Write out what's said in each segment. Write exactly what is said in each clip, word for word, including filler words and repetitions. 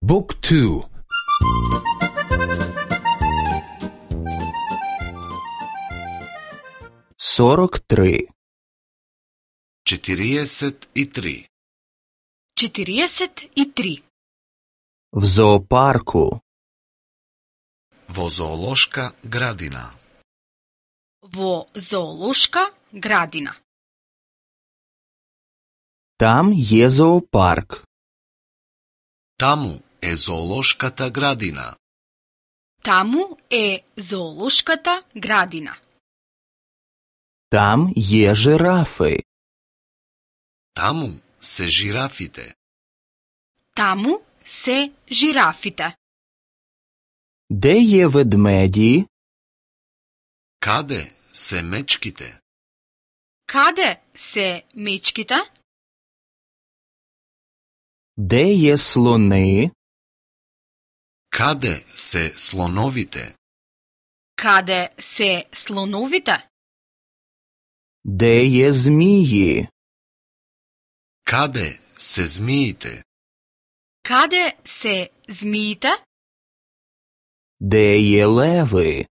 Book two. сорок три. четириесет и три. четириесет и три. В зоопарку. Во зоолошка градина. Во зоолошка градина. Там е зоопарк. Таму е зоолошката градина. Таму е зоолошката градина. Там е жирафи. Таму се жирафите. Таму се жирафите. Де е ведмеди? Каде се мечките? Каде се мечките? Де е слони? Каде се слоновите? Каде се слоновите? Де е змии? Каде се змиите? Каде се змиите? Де е леви?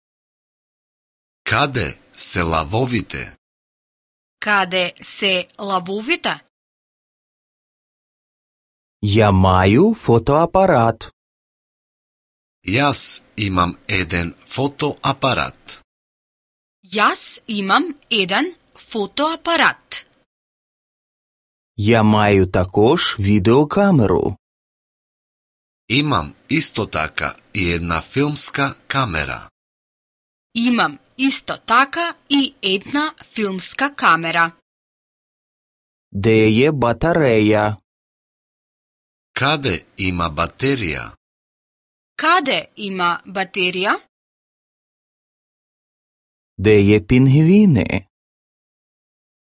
Каде се лавовите? Каде се лавовите? Я маю фотоапарат. Јас имам еден фотоапарат. Јас имам еден фотоапарат. Я маю також видеокамеру. Имам исто така и една филмска камера. Имам исто така и една филмска камера. Де е батареја? Каде има батерија? Каде има батерија? Де е пингвини?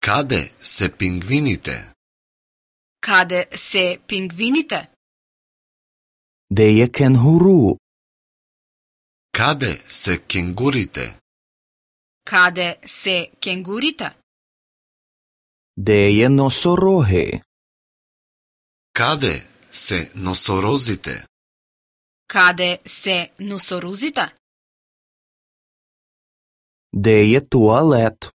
Каде се пингвините? Каде се пингвините? Де е кенгуру? Каде се кенгурите? Каде се кенгурите? Де е носороги? Каде се носорозите? Каде се носорозите? Де е туалет?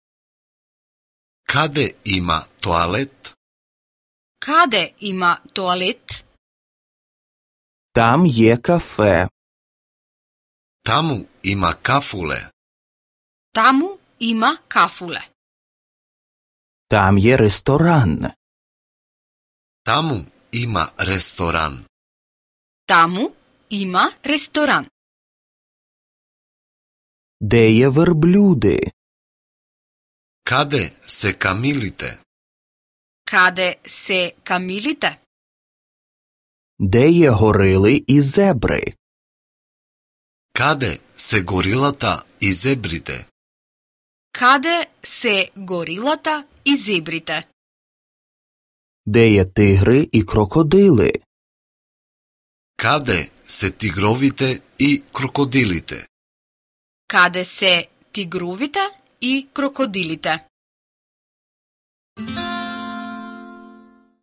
Каде има тоалет? Каде има тоалет? Там е кафе. Таму има кафуле. Таму има кафуле. Там е ресторан. Таму има ресторан. Таму има ресторан. Де е верблюди? Каде се камилите? Каде се камилите? Де е горили и зебри? Каде се горилата и зебрите? Каде се горилата и зебрите? Де е тигри и крокодили? Каде се тигровите и крокодилите? Каде се тигровите и крокодилите?